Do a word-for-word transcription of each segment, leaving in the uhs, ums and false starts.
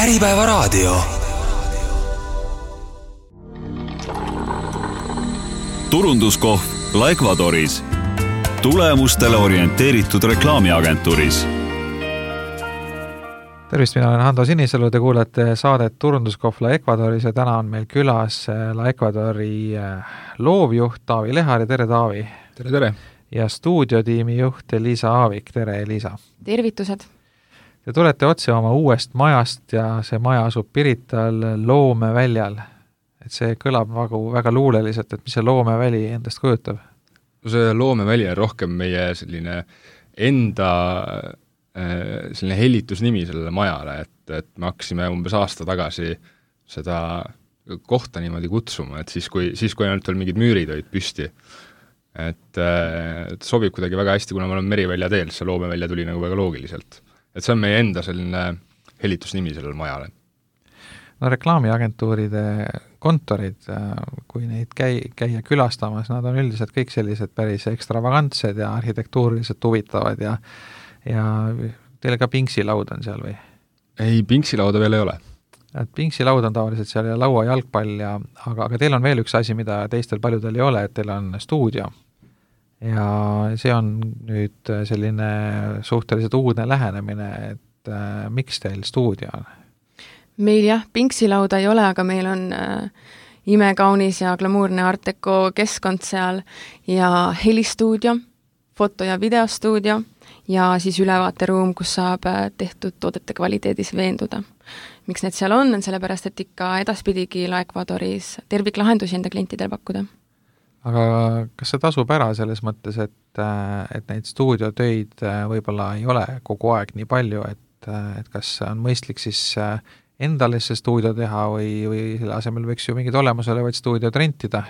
Äripäevaraadio. turunduskohv La Ecuadoris. Tulemustele orienteeritud reklaamiagentuuris. Tervist, mina olen Hando Sinisalu, te kuulete saadet Turunduskohv La Ecuadoris ja täna on meil külas La Ecuadori loovjuht Taavi Lehari. Tere, Taavi! Tere, tere! Ja stuudiotiimi juht Liisa Aavik. Tere, Liisa! Tervitused! Te tulete otse oma uuest majast ja see maja asub Pirital Loomeväljal. Et see kõlab väga, väga luuleliselt, et mis see Loomeväli endast kujutab? No see Loomeväli on rohkem meie selline enda selline hellitusnimi sellele majale, et, et me hakkasime umbes aasta tagasi seda kohta niimoodi kutsuma, et siis kui, siis kui ainult veel mingid müürid olid püsti. Et, et sobib kuidagi väga hästi, kuna me oleme Merivälja teel, see Loomevälja tuli nagu väga loogiliselt. Et see on meie enda selline hellitusnimi sellele majale. No reklaamiagentuuride kontorid, kui neid käi, käia külastamas, nad on üldiselt kõik sellised päris ekstravagantsed ja arhitektuuriliselt huvitavad ja ja teile ka pingsilaud on seal või? Ei, pingsilauda veel ei ole. Et pingsilaud on tavaliselt seal ja laua jalgpall, ja, aga, aga teil on veel üks asi, mida teistel paljudel ei ole, et teil on stuudio. Ja see on nüüd selline suhteliselt uudne lähenemine, et äh, miks teil stuudio on? Meil jah, pingsilauda ei ole, aga meil on äh, imekaunis ja glamuurne Art Deco keskkond seal ja helistuudio, foto- ja videostuudio ja siis ülevaateruum, kus saab tehtud toodete kvaliteedis veenduda. Miks need seal on, on sellepärast, et ikka edaspidigi La Ecuadoris terviklahendusi enda klientidel pakkuda. Aga kas see tasub ära selles mõttes, et, et neid stuudiotöid võib-olla ei ole kogu aeg nii palju, et, et kas on mõistlik siis endale see stuudio teha või, või selle asemel võiks ju mingid olemasolevaid stuudiod rentida,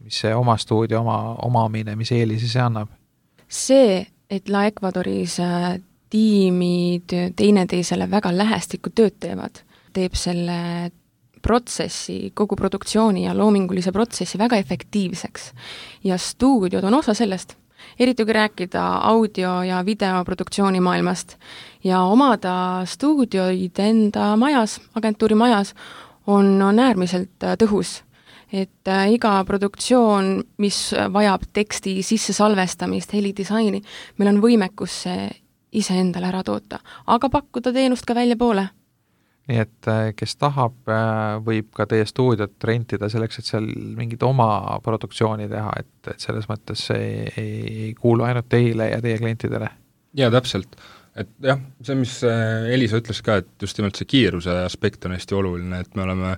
mis see oma stuudio, oma omamine, mis eelisi see annab? See, et La Ecuadoris tiimid teineteisele väga lähestikku tööd teevad, teeb selle protsessi, kogu produktsiooni ja loomingulise protsessi väga efektiivseks. Ja stuudiod on osa sellest, eriti kui rääkida audio- ja videoproduktsiooni maailmast. Ja omada stuudioid enda majas, agentuuri majas, on, on äärmiselt tõhus. Et äh, iga produktsioon, mis vajab teksti sisse salvestamist, helidisaini, meil on võimekus see ise endale ära toota, aga pakkuda teenust ka välja poole. Nii et kes tahab, võib ka teie stuudiot rentida selleks, et seal mingid oma produktsiooni teha, et, et selles mõttes see ei, ei kuulu ainult teile ja teie klientidele. Ja täpselt, et jah, see, mis Elisa ütles ka, et just nimelt see kiiruse aspekt on hästi oluline, et me oleme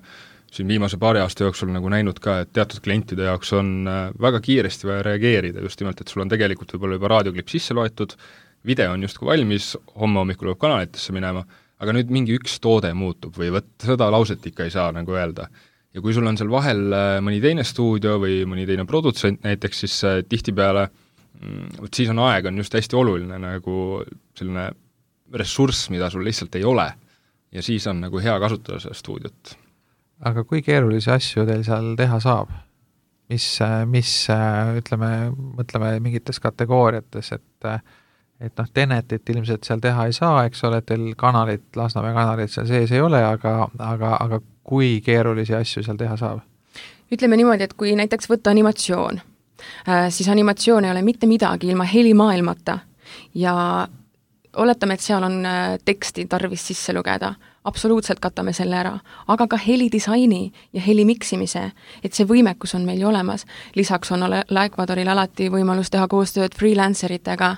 siin viimase paari aasta jooksul nagu näinud ka, et teatud klientide jaoks on väga kiiresti vaja reageerida, just nimelt, et sul on tegelikult võib-olla juba raadioklipp sisse loetud, video on justkui valmis, homme hommikul võib kanalitesse minema, aga nüüd mingi üks toode muutub või võt, seda lauset ikka ei saa nagu öelda. Ja kui sul on seal vahel mõni teine stuudio või mõni teine produtsent näiteks, siis tihtipeale, võt siis on aeg on just hästi oluline nagu selline ressurss, mida sul lihtsalt ei ole ja siis on nagu hea kasutada seda stuudiot. Aga kui keerulisi asju teil seal teha saab? Mis, mis ütleme, mõtleme mingites kategooriates, et, et noh, Tenetit ilmselt seal teha ei saa, eks ole, teil kanalit, Lasnamäe kanalit seal sees ei ole, aga, aga, aga kui keerulisi asju seal teha saab? Ütleme niimoodi, et kui näiteks võtta animatsioon, siis animatsioon ei ole mitte midagi ilma helimaailmata ja oletame, et seal on teksti tarvis sisse lugeda, absoluutselt katame selle ära, aga ka helidisaini ja heli miksimise, et see võimekus on meil ju olemas. Lisaks on La Ecuadoril alati võimalus teha koostööd freelanceritega,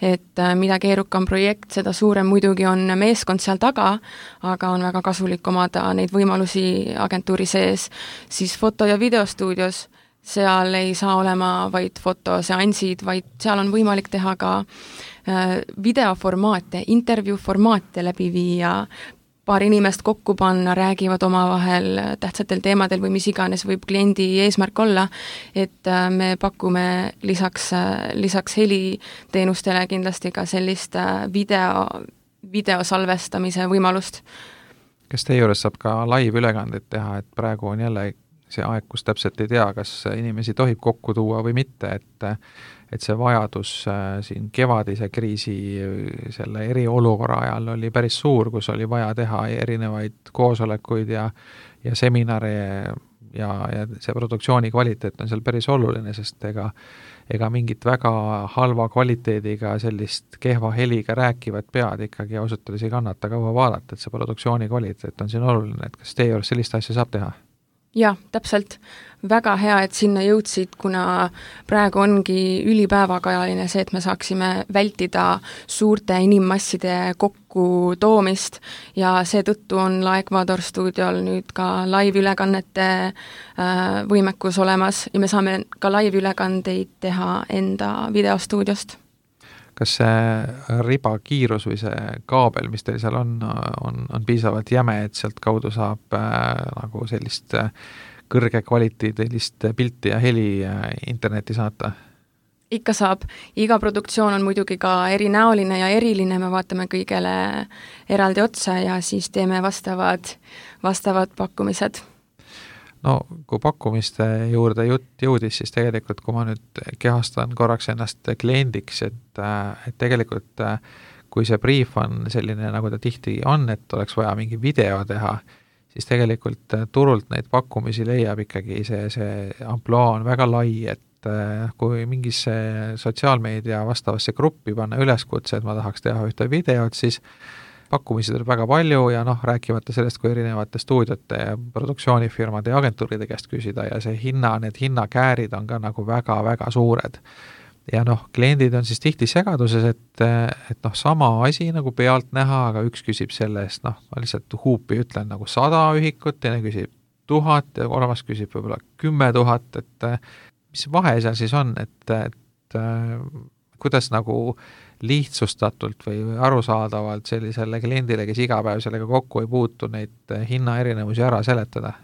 et mida keerukam projekt, seda suurem muidugi on meeskond seal taga, aga on väga kasulik omada neid võimalusi agentuuri sees, siis foto- ja videostuudios seal ei saa olema vaid fotoseansid, vaid seal on võimalik teha ka videoformaate, intervjuuformaate läbi viia, paar inimest kokku panna, räägivad omavahel tähtsatel teemadel või mis iganes võib kliendi eesmärk olla, et me pakume lisaks, lisaks heliteenustele kindlasti ka sellist video, videosalvestamise võimalust. Kas teie juures saab ka live-ülekandeid teha, et praegu on jälle see aeg, kus täpselt ei tea, kas inimesi tohib kokku tuua või mitte, et et see vajadus siin kevadise kriisi selle eriolukorra ajal oli päris suur, kus oli vaja teha erinevaid koosolekuid ja, ja seminare ja, ja see produktsiooni kvaliteet on seal päris oluline, sest ega, ega mingit väga halva kvaliteediga sellist kehva heliga rääkivat pead ikkagi ausalt öeldes ei kannata kaua vaadata, et see produktsiooni kvaliteet on siin oluline, et kas teie juures sellist asja saab teha? Jah, täpselt. Väga hea, et sinna jõudsid, kuna praegu ongi ülipäevakajaline see, et me saaksime vältida suurte inimmasside kokku toomist ja seetõttu on La Ecuador stuudiol nüüd ka live-ülekannete võimekus olemas ja me saame ka live-ülekandeid teha enda videostuudiost. Kas see riba kiirus või see kaabel, mis teil seal on, on, on piisavalt jäme, et sealt kaudu saab äh, nagu sellist äh, kõrge kvaliteedilist pilti ja heli äh, interneti saata? Ikka saab. Iga produktsioon on muidugi ka erinäoline ja eriline, me vaatame kõigele eraldi otsa ja siis teeme vastavad, vastavad pakkumised. No kui pakkumiste juurde jutt jõudis, siis tegelikult kui ma nüüd kehastan korraks ennast kliendiks, et, et tegelikult kui see brief on selline, nagu ta tihti on, et oleks vaja mingi video teha, siis tegelikult turult neid pakkumisi leiab ikkagi see, see amploa on väga lai, et kui mingisse sotsiaalmeedia vastavasse gruppi panna üleskutse, et ma tahaks teha ühte videot, siis pakkumisi tuleb väga palju ja noh, rääkimata sellest, kui erinevate stuudiote ja produktsioonifirmade ja agentuuride käest küsida ja see hinna, need hinnakäärid on ka nagu väga-väga suured. Ja noh, kliendid on siis tihti segaduses, et, et noh, sama asi nagu pealt näha, aga üks küsib selle eest, noh, ma lihtsalt huupi ütlen nagu sada ühikut, teine küsib tuhat ja kolmas küsib võib-olla kümme tuhat, et mis vahe seal siis on, et, et kuidas nagu lihtsustatult või arusaadavalt sellisele kliendile, kes iga päev sellega kokku ei puutu, neid hinna erinevusi ära seletada?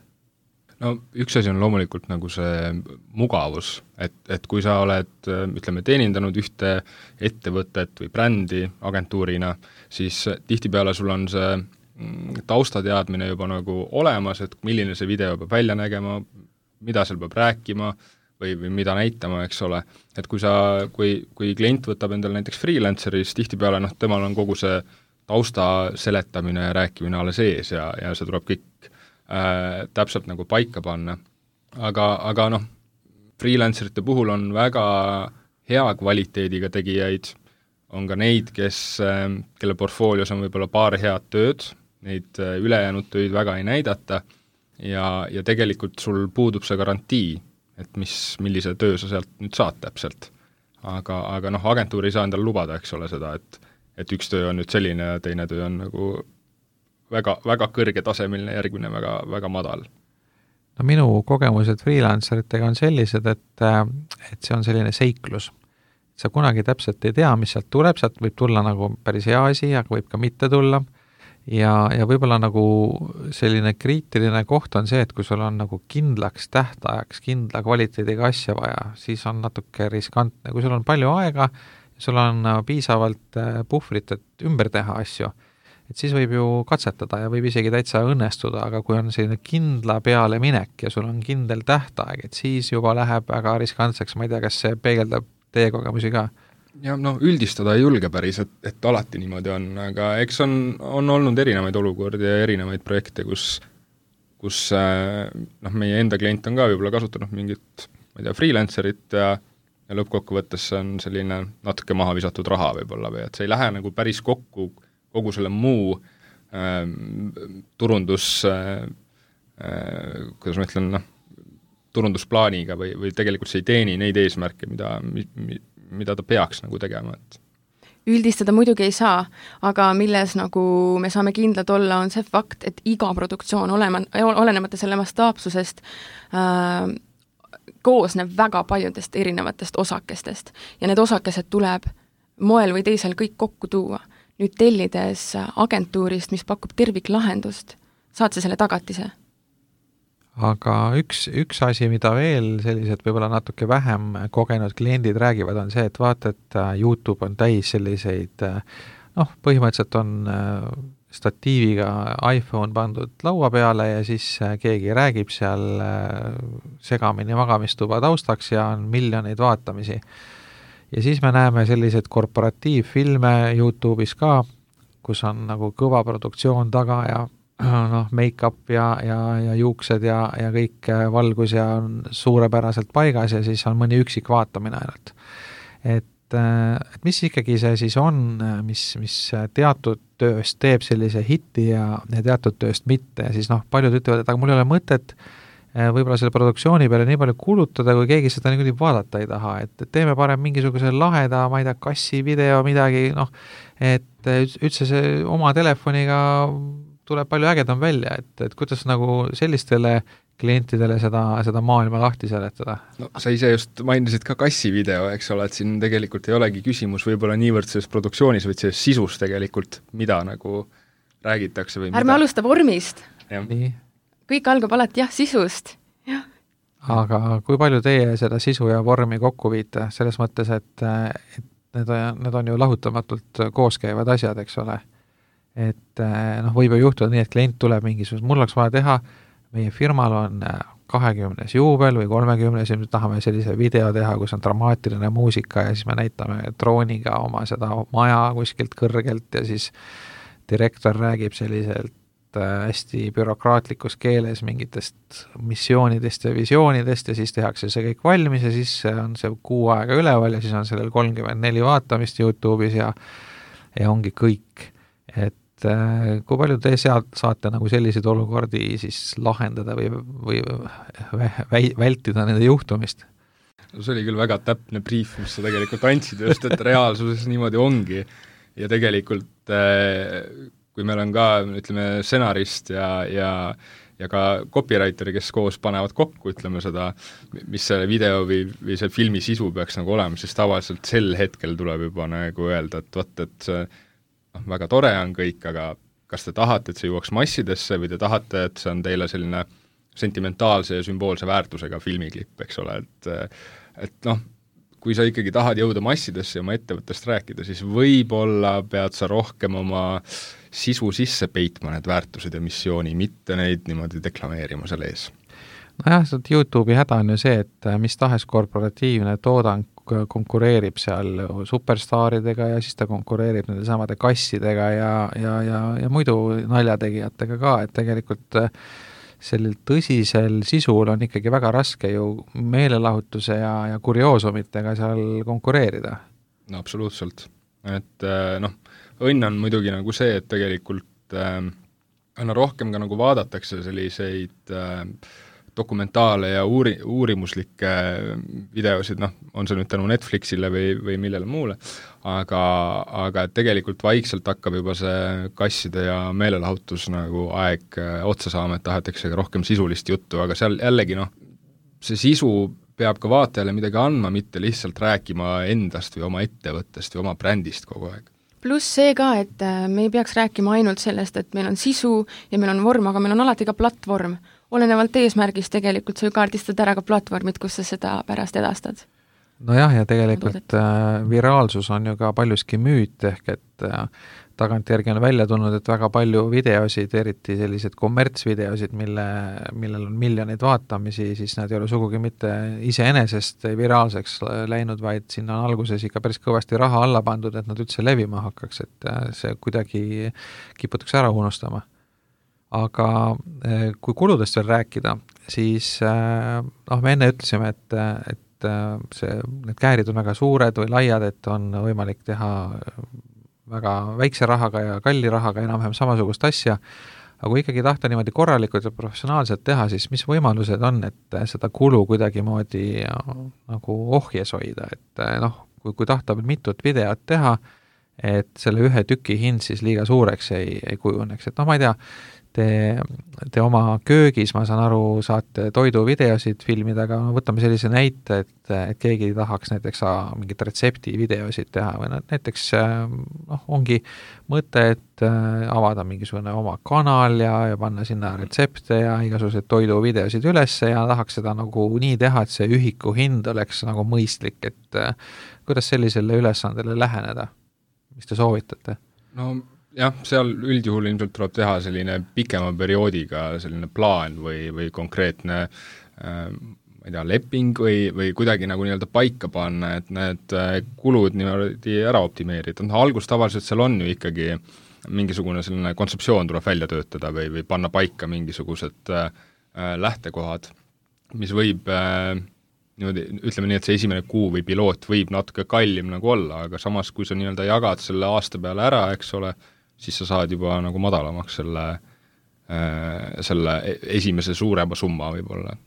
No üks asi on loomulikult nagu see mugavus, et, et kui sa oled, ütleme, teenindanud ühte ettevõtet või brändi agentuurina, siis tihtipeale sul on see taustateadmine juba nagu olemas, et milline see video peab välja nägema, mida seal peab rääkima, või, või mida näitama, eks ole. Et kui sa, kui, kui klient võtab endale näiteks freelanceri, siis tihtipeale noh, temal on kogu see tausta seletamine ja rääkimine alles ees ja, ja see tuleb kõik äh, täpselt nagu paika panna. Aga, aga noh, freelancerite puhul on väga hea kvaliteediga tegijaid, on ka neid, kes, äh, kelle portfoolios on võib-olla paar head tööd, neid äh, ülejäänud töid väga ei näidata ja, ja tegelikult sul puudub see garantii, et mis, millise töö sa sealt nüüd saad täpselt. Aga, aga noh, agentuur ei saa endale lubada, eks ole seda, et, et üks töö on nüüd selline ja teine töö on nagu väga, väga kõrge tasemeline, järgmine väga, väga madal. No minu kogemused freelanceritega on sellised, et, et see on selline seiklus. Sa kunagi täpselt ei tea, mis sealt tuleb, sealt võib tulla nagu päris hea asi, aga võib ka mitte tulla. Ja, ja võib-olla nagu selline kriitiline koht on see, et kui sul on nagu kindlaks tähtajaks, kindla kvaliteediga asja vaja, siis on natuke riskantne. Kui sul on palju aega, sul on piisavalt puhvrit, et ümber teha asju, et siis võib ju katsetada ja võib isegi täitsa õnnestuda, aga kui on selline kindla peale minek ja sul on kindel tähtaeg, et siis juba läheb väga riskantseks, ma ei tea, kas see peegeldab teie kogemusi ka? Ja no üldistada ei julge päris, et, et alati niimoodi on, aga eks on, on olnud erinevaid olukordi ja erinevaid projekte, kus, kus noh, meie enda klient on ka võib-olla kasutanud mingit, ma ei tea, freelancerit ja, ja lõppkokkuvõttes on selline natuke maha visatud raha võib-olla või et see ei lähe nagu päris kokku kogu selle muu äh, turundus äh, äh, kuidas ma ütlen, noh, turundusplaaniga või, või tegelikult see ei teeni neid eesmärke, mida mi, mi, mida ta peaks nagu tegema, et üldistada muidugi ei saa, aga milles nagu me saame kindlad olla, on see fakt, et iga produktsioon olema, olenemata selle mastaapsusest äh, koosneb väga paljudest erinevatest osakestest ja need osakesed tuleb moel või teisel kõik kokku tuua. Nüüd tellides agentuurist, mis pakub terviklahendust, saad sa selle tagatise? Aga üks, üks asi, mida veel sellised võib-olla natuke vähem kogenud kliendid räägivad, on see, et vaata, et YouTube on täis selliseid, noh, põhimõtteliselt on statiiviga iPhone pandud laua peale ja siis keegi räägib seal segamini magamistuba taustaks ja on miljoneid vaatamisi. Ja siis me näeme selliseid korporatiivfilme YouTube'is ka, kus on nagu kõva produktsioon taga ja noh, make-up ja, ja, ja juuksed ja, ja kõik valgus ja on suurepäraselt paigas ja siis on mõni üksik vaatamine ainult. Et, et mis ikkagi see siis on, mis, mis teatud tööst teeb sellise hiti ja, ja teatud tööst mitte ja siis noh, paljud ütlevad, et aga mul ei ole mõtet võib-olla selle produktsiooni peale nii palju kulutada, kui keegi seda niikuinii vaadata ei taha, et teeme parem mingisuguse laheda, ma ei tea, kassi video, midagi, noh, et üldse see oma telefoniga tuleb palju ägedam välja, et, et kuidas nagu sellistele klientidele seda, seda maailma lahti seletada? No sa ise just mainisid ka kassi video, eks ole, et siin tegelikult ei olegi küsimus võib-olla niivõrd selles produktsioonis, vaid selles sisus tegelikult, mida nagu räägitakse või ärme mida... alusta vormist. Nii. Kõik algab alati jah, sisust. Ja. Aga kui palju teie seda sisu ja vormi kokku viite, selles mõttes, et, et need, on, need on ju lahutamatult kooskäivad asjad, eks ole. Et noh, võib ju juhtuda nii, et klient tuleb mingisugust, mul oleks vaja teha, meie firmal on kahekümnes juubel või kolmekümnes ja nüüd tahame sellise video teha, kus on dramaatiline muusika ja siis me näitame drooniga oma seda maja kuskilt kõrgelt ja siis direktor räägib selliselt hästi bürokraatlikus keeles mingitest missioonidest ja visioonidest ja siis tehakse see kõik valmis ja siis on see kuu aega üleval ja siis on sellel kolmkümmend neli vaatamist YouTube'is ja, ja ongi kõik. Et kui palju te sealt saate nagu selliseid olukordi siis lahendada või, või vä- vältida nende juhtumist? See oli küll väga täpne brief, mis sa tegelikult andsid just, et reaalsuses niimoodi ongi ja tegelikult kui meil on ka, ütleme, stsenarist ja, ja, ja ka copywriteri, kes koos panevad kokku, ütleme seda, mis see video või, või see filmi sisu peaks nagu olema, siis tavaliselt sel hetkel tuleb juba nagu öelda, et võt, et see noh, väga tore on kõik, aga kas te tahate, et see jõuaks massidesse või te tahate, et see on teile selline sentimentaalse ja sümboolse väärtusega filmiklipp, eks ole, et, et noh, kui sa ikkagi tahad jõuda massidesse ja oma ettevõttest rääkida, siis võib-olla pead sa rohkem oma sisu sisse peitma need väärtused ja missiooni, mitte neid niimoodi deklameerima selle ees. Nojah, YouTube'i häda on ju see, et mis tahes korporatiivne toodang konkureerib seal superstaaridega ja siis ta konkureerib nende samade kassidega ja, ja, ja, ja muidu naljategijatega ka, et tegelikult sellel tõsisel sisul on ikkagi väga raske ju meelelahutuse ja, ja kurioosumitega seal konkureerida. No absoluutselt, et noh, õnn on muidugi nagu see, et tegelikult äh, aina rohkem ka nagu vaadatakse selliseid äh, dokumentaale ja uuri, uurimuslikke videosid, noh, on see nüüd tänu Netflixile või, või millele muule, aga, aga tegelikult vaikselt hakkab juba see kasside ja meelelahutus nagu aeg otsa saama, et tahetakse rohkem sisulist juttu, aga seal jällegi noh, see sisu peab ka vaatajale midagi andma, mitte lihtsalt rääkima endast või oma ettevõttest või oma brändist kogu aeg. Pluss see ka, et me ei peaks rääkima ainult sellest, et meil on sisu ja meil on vorm, aga meil on alati ka platvorm. Olenevalt eesmärgist tegelikult sa ju kaardistad ära ka platvormid, kus sa seda pärast edastad. Nojah, ja tegelikult äh, viraalsus on ju ka paljuski müüt, ehk et äh, tagantjärgi on välja tulnud, et väga palju videosid, eriti sellised kommertsvideosid, mille, millel on miljoneid vaatamisi, siis nad ei ole sugugi mitte iseenesest viraalseks läinud, vaid sinna on alguses ikka päris kõvasti raha alla pandud, et nad üldse levima hakkaks, et äh, see kuidagi kiputakse ära unustama. Aga kui kuludest veel rääkida, siis noh, me enne ütlesime, et, et see, need käärid on väga suured või laiad, et on võimalik teha väga väikse rahaga ja kalli rahaga enam-vähem samasugust asja, aga kui ikkagi tahta niimoodi korralikult ja professionaalselt teha, siis mis võimalused on, et seda kulu kuidagi moodi nagu ohjes hoida, et noh, kui, kui tahta mitut videot teha, et selle ühe tüki hind siis liiga suureks ei, ei kujuneks, et noh, ma ei tea, Te, te oma köögis, ma saan aru, saate toiduvideosid filmida, aga no, võtame sellise näite, et, et keegi tahaks näiteks mingit retseptivideosid teha või näiteks noh, ongi mõte, et avada mingisugune oma kanal ja, ja panna sinna retsepte ja igasuguseid toiduvideosid üles ja tahaks seda nagu nii teha, et see ühiku hind oleks nagu mõistlik, et kuidas sellisele ülesandele läheneda? Mis te soovitate? No jah, seal üldjuhul ilmselt tuleb teha selline pikema perioodiga selline plaan või, või konkreetne äh, ma ei tea, leping või, või kuidagi nagu nii-öelda paika panna, et need kulud niimoodi ära optimeerida. No, algus tavaliselt seal on ju ikkagi mingisugune selline kontseptsioon tuleb välja töötada või, või panna paika mingisugused äh, lähtekohad, mis võib äh, niimoodi, ütleme nii, et see esimene kuu või piloot võib natuke kallim nagu olla, aga samas, kui sa nii-öelda jagad selle aasta peale ära, eks ole, siis sa saad juba nagu madalamaks selle, äh, selle esimese suurema summa võib-olla.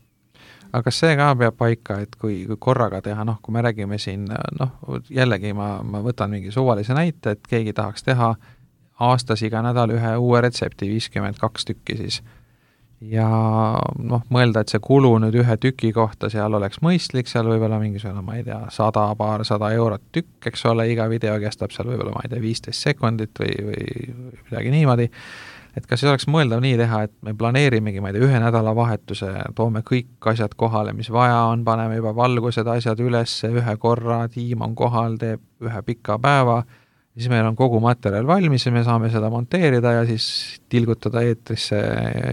Aga kas see ka peab paika, et kui, kui korraga teha, noh, kui me räägime siin, noh, jällegi ma, ma võtan mingi suvalise näite, et keegi tahaks teha aastas iga nädal ühe uue retsepti, viiskümmend kaks tükki siis. Ja noh, mõelda, et see kulu nüüd ühe tüki kohta seal oleks mõistlik, seal võib-olla mingisugune, ma ei tea, sada, paar sada eurot tükk, eks ole, iga video kestab seal võib-olla, ma ei tea, viisteist sekundit või, või midagi niimoodi. Et kas siis oleks mõeldav nii teha, et me planeerimegi, ma ei tea, ühe nädala vahetuse, toome kõik asjad kohale, mis vaja on, paneme juba valgused asjad üles, ühe korra, tiim on kohal, teeb ühe pika päeva, siis meil on kogu materjal valmis ja me saame seda monteerida ja siis tilgutada eetrisse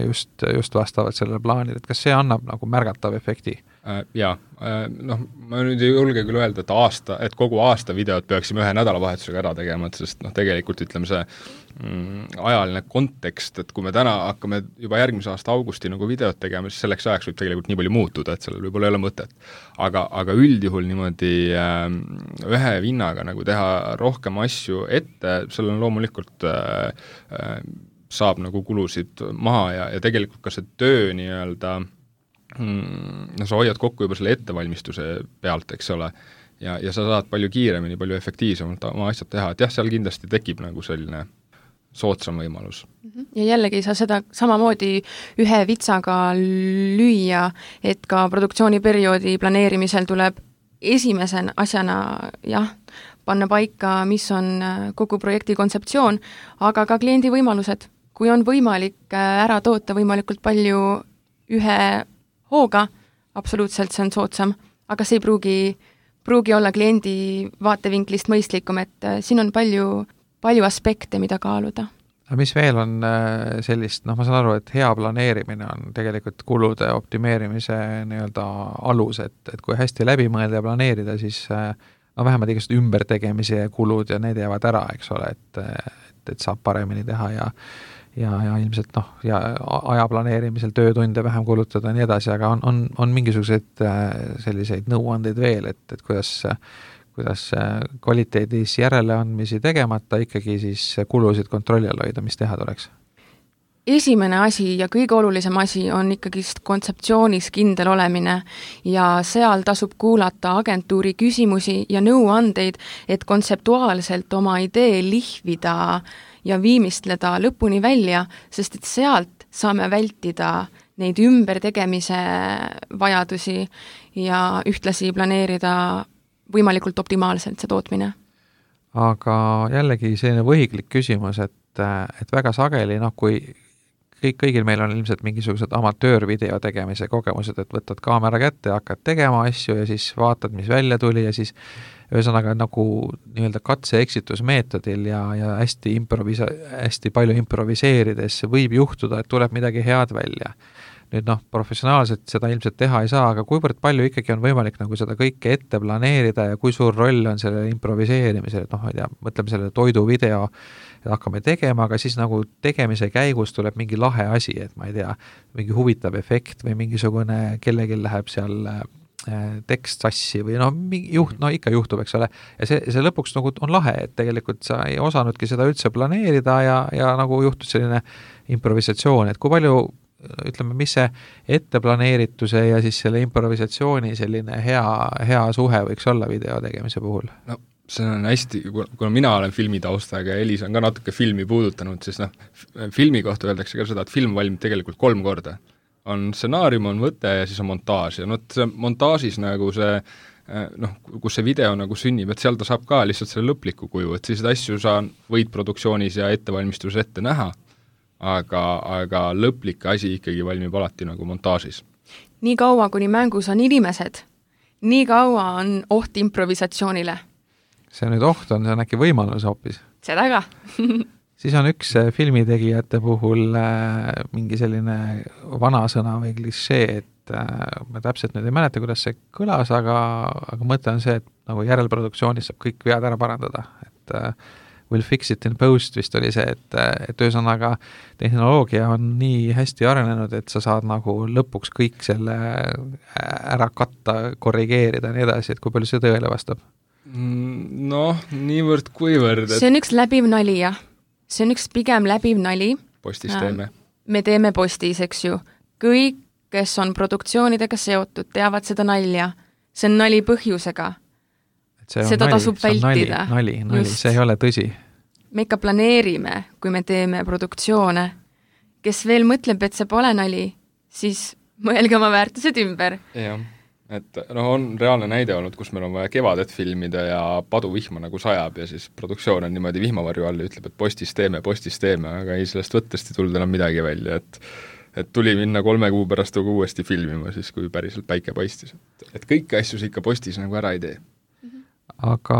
just, just vastavalt sellele plaanile, et kas see annab nagu märgatav efekti? Jaa, noh, ma nüüd ei julge küll öelda, et aasta, et kogu aasta videot peaksime ühe nädalavahetusega ära tegema, et sest noh, tegelikult ütleme see mm, ajaline kontekst, et kui me täna hakkame juba järgmise aasta augusti nagu videot tegema, siis selleks ajaks võib tegelikult nii palju muutuda, et sellel võib-olla ei ole mõtet. Aga, aga üldjuhul niimoodi äh, ühe vinnaga nagu teha rohkem asju ette, sellel on loomulikult äh, äh, saab nagu kulusid maha ja, ja tegelikult ka see töö nii-öelda no sa hoiad kokku juba selle ettevalmistuse pealt, eks ole, ja, ja sa saad palju kiiremini, palju efektiivsemalt oma asjad teha, et jah, seal kindlasti tekib nagu selline soodsam võimalus. Ja jällegi ei saa seda samamoodi ühe vitsaga lüüa, et ka produktsiooniperioodi planeerimisel tuleb esimesen asjana jah, panna paika, mis on kogu projekti kontseptsioon, aga ka kliendi võimalused. Kui on võimalik ära toota võimalikult palju ühe hooga, absoluutselt see on soodsam, aga see ei pruugi, pruugi olla kliendi vaatevinklist mõistlikum, et siin on palju, palju aspekte, mida kaaluda. Mis veel on sellist, noh ma saan aru, et hea planeerimine on tegelikult kulude optimeerimise nii-öelda alus, et, et kui hästi läbi mõelda ja planeerida, siis no vähemalt igasugused ümbertegemise kulud ja need jäävad ära, eks ole, et, et, et saab paremini teha ja ja, ja ilmselt noh, ja aja planeerimisel töötunde vähem kulutada ja nii edasi, aga on, on, on mingisuguseid selliseid nõuandeid veel, et, et kuidas, kuidas kvaliteedis järeleandmisi tegemata ikkagi siis kulusid kontrolli all hoida, mis teha tuleks? Esimene asi ja kõige olulisem asi on ikkagi kontseptsioonis kindel olemine ja seal tasub kuulata agentuuri küsimusi ja nõuandeid, et kontseptuaalselt oma idee lihvida ja viimistleda lõpuni välja, sest et sealt saame vältida neid ümbertegemise vajadusi ja ühtlasi planeerida võimalikult optimaalselt see tootmine. Aga jällegi selline võhiklik küsimus, et, et väga sageli, noh kui kõik, kõigil meil on ilmselt mingisugused amatöörvideo tegemise kogemused, et võtad kaamera kätte ja hakkad tegema asju ja siis vaatad, mis välja tuli ja siis ühesõnaga nagu nii-öelda katse-eksitusmeetodil ja, ja hästi, improvisa- hästi palju improviseerides võib juhtuda, et tuleb midagi head välja. Nüüd noh, professionaalselt seda ilmselt teha ei saa, aga kuivõrd palju ikkagi on võimalik nagu seda kõike ette planeerida ja kui suur roll on selle improviseerimisel, et noh, ma ei tea, mõtleme selle toiduvideo, et hakkame tegema, aga siis nagu tegemise käigus tuleb mingi lahe asi, et ma ei tea, mingi huvitav efekt või mingisugune kellelgi läheb seal tekst sassi või no, juht, no ikka juhtub, eks ole, ja see, see lõpuks nagu on lahe, et tegelikult sa ei osanudki seda üldse planeerida ja, ja nagu juhtus selline improvisatsioon, et kui palju ütleme, mis see etteplaneerituse ja siis selle improvisatsiooni selline hea, hea suhe võiks olla video tegemise puhul? No see on hästi, kuna mina olen filmitaustaga ja Elis on ka natuke filmi puudutanud, siis noh, filmi kohta öeldakse ka seda, et film valmib tegelikult kolm korda. On stsenaarium, on võte ja siis on montaaž ja no see montaažis nagu see noh, kus see video nagu sünnib, et seal ta saab ka lihtsalt selle lõpliku kuju, et siis asju sa võid produktsioonis ja ettevalmistuses ette näha, aga, aga lõplik asi ikkagi valmib alati nagu montaažis. Nii kaua, kuni mängus on inimesed, nii kaua on oht improvisatsioonile. See nüüd oht on, see on äkki võimalus hoopis. Seda ka. siis on üks filmitegijate puhul mingi selline vanasõna või klišee, et ma täpselt nüüd ei mäleta, kuidas see kõlas, aga, aga mõte on see, et nagu järelproduktsioonis saab kõik vead ära parandada, et we'll fix it in post vist oli see, et, et ühesõnaga tehnoloogia on nii hästi arenenud, et sa saad nagu lõpuks kõik selle ära katta, korrigeerida ja nii edasi, et kui palju see tõele vastab? Noh, niivõrd kuivõrd et... See on üks läbiv nali, jah. See on üks pigem läbiv nali. Postis teeme. Me teeme postis, eks ju. Kõik, kes on produktsioonidega seotud, teavad seda nalja. See on nali põhjusega. Seda nali, tasub vältida. Nali, nali, nali. See ei ole tõsi. Me ikka planeerime, kui me teeme produktsioone. Kes veel mõtleb, et see pole nali, siis mõelge oma väärtused ümber. Jah. Et noh, on reaalne näide olnud, kus meil on vaja kevadet filmida ja paduvihma nagu sajab ja siis produktsioon on niimoodi vihmavarju all ja ütleb, et postis teeme, postis teeme, aga ei sellest võttest ei tulnud enam midagi välja, et et tuli minna kolme kuu pärast nagu uuesti filmima siis, kui päriselt päike paistis. Et, et kõiki asju ikka postis nagu ära ei tee. Aga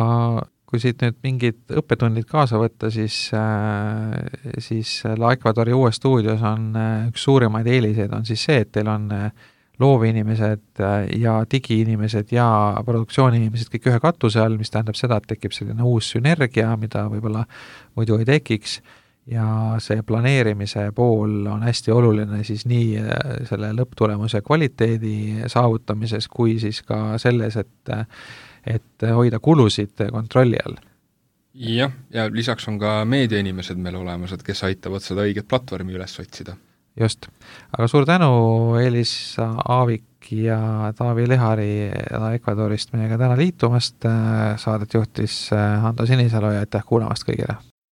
kui siit nüüd mingid õppetunnid kaasa võtta, siis, äh, siis La Ecuadori uues stuudios on äh, üks suurimaid eeliseid on siis see, et teil on äh, loovinimesed ja digiinimesed ja produktsiooniinimesed kõik ühe katuse all, mis tähendab seda, et tekib selline uus sünergia, mida võib-olla muidu ei tekiks ja see planeerimise pool on hästi oluline siis nii selle lõpptulemuse kvaliteedi saavutamises kui siis ka selles, et, et hoida kulusid kontrolli all. Jah, ja lisaks on ka meediainimesed meil olemas, et kes aitavad seda õiget platvormi üles otsida. Just. Aga suur tänu Elis Aavik ja Taavi Lehari Ecuadorist meiega täna liitumast. Saadet juhtis Hando Sinisalu ja aitäh kuulamast kõigile.